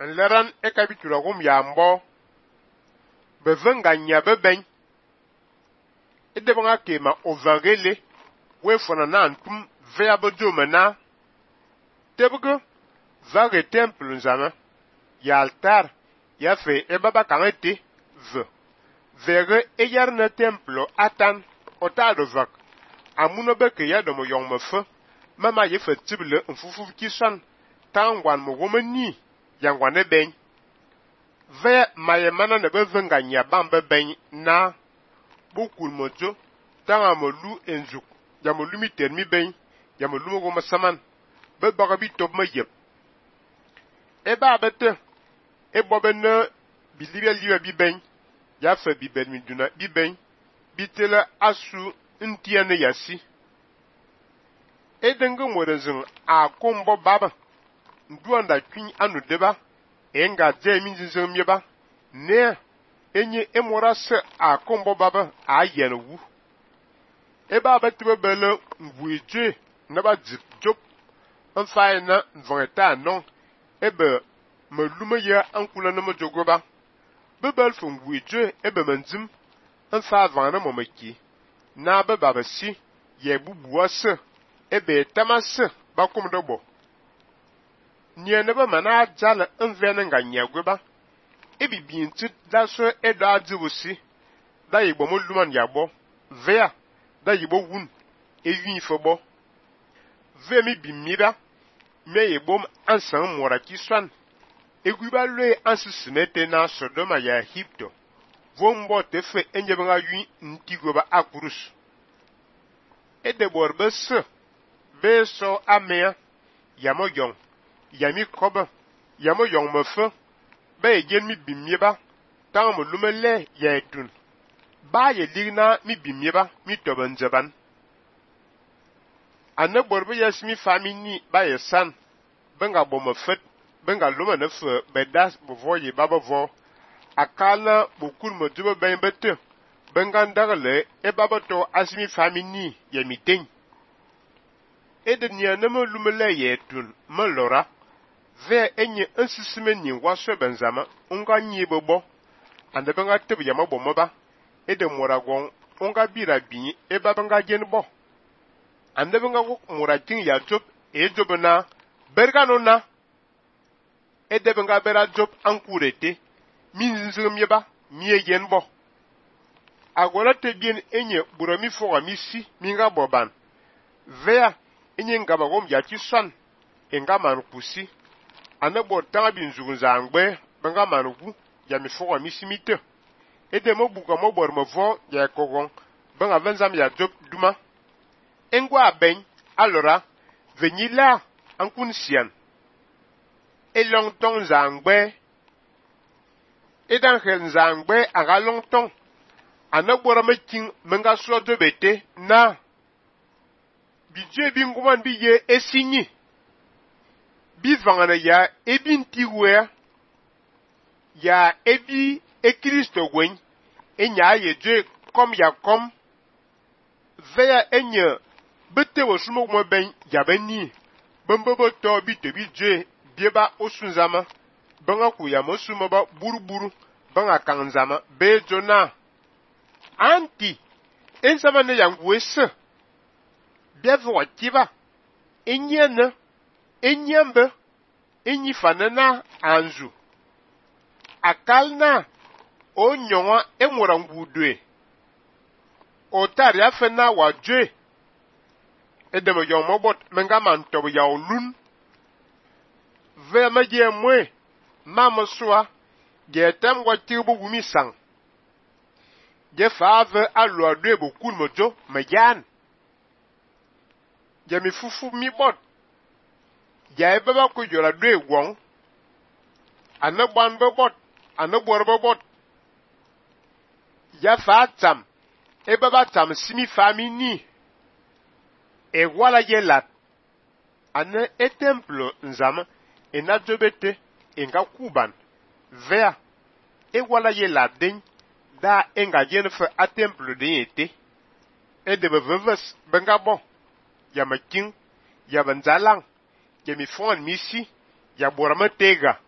Nleran e kabitura gum ya mbo bevenga nya beben edebanga kema ovagele we fona na antum vea bojo mena tebugo vage temple nzama ya altar ya fe e baba kangete vege e yarna temple atan otado vak amuno beke ya domo yong mefe mama ye fe tible mfufu kisan tangwan mo womani yangwane ben ve maye mana ne bevenga nya bambe ben na bukul mojo tanga mo lu enjuk ya mo lumi termi ben ya mo lumo goma saman be baga bi top ma yep e ba bete e bobena bilibia liwa bi ben ya fa bi ben mi duna bi ben bitela asu ntiane yasi e denga morezin a kombo baba nduanda kwin anu deba enga jemi nzinzin mieba ne enye emora se a kombo baba a yenwu e ba bete bele ngwuje na ba jip nfaye na nvongeta non ebe melume ya ankula na mojogoba bebel fo ngwuje ebe manzim nfa vana momeki na beba basi ye bubuwa se ebe tamase bakum dobo nye nebe mana jala nvene nga nyagweba ebi binti da so edo adibusi da yibo mo luman yabo vea da yibo wun evi fobo ve mi bimira me yibo ansan mora kiswan egwiba lwe ansisimete na Sodoma ya Egipto vombo tefe enyebenga yu ntigoba akurus edebor bese beso amea yamo yong yami koba yamo yong mefe be yen mi bimieba tang mo lumele ya etun ba ye ligna mi bimieba mi toban jaban ane borbe yasmi famini ba ye san benga bomo fet benga luma ne fe bedas bovo ye baba vo akala bokul mo dubo ben bete benga ndagale e baba to asmi famini ye miten edenia ne mo lumele ye etun melora ve enye nsisime ni waso benzama unga nyibobo ande benga tebu yama bomoba ede moragon unga bira bi e babanga genbo ande benga wok moratin ya job e jobna bergano na ede benga bera job ankurete min zingum yeba miye genbo agora te bien enye burami foga misi minga boban vea enye ngaba gom ya kisan enga man kusi ane bor tanga bin zugun zangbe benga manugu ya mi foga misimite ede mo buka mo bor mo vo ya kogon benga venzam ya job duma engwa ben alora venyila ankun sian elong tong zangbe edan hel zangbe aga long tong ane bor me king menga so de bete na bije binguman biye esinyi bi vangana ya ebi ntiwe ya ebi Kristo gwen enya yeje kom ya kom veya enya bete wosumo mo ben ya beni bombobo to bi te bi je bieba osunzama banga ku ya mosumo ba buruburu banga kanzama be jona anti ensama ne yangwese bieva wakiba enyene enyembe enyi fanana anzu akalna onyonwa enwora ngudwe otari afena wajwe edemo yomobot menga mantobo ya olun ve maje mwe mamoswa getem watibu gumisang je fave alo adwe bokul mojo majan je mi fufu mi bot ya baba ko jora dwe won anagban bobot anagbor bobot ya fatam e baba tam simi famini e wala yelat ane e templo nzama e na jobete e nga kuban vea e wala yelat den da e nga jenfe a templo den ete e de beveves benga bon ya making ya banzalang ya mi fon misi ya borama tega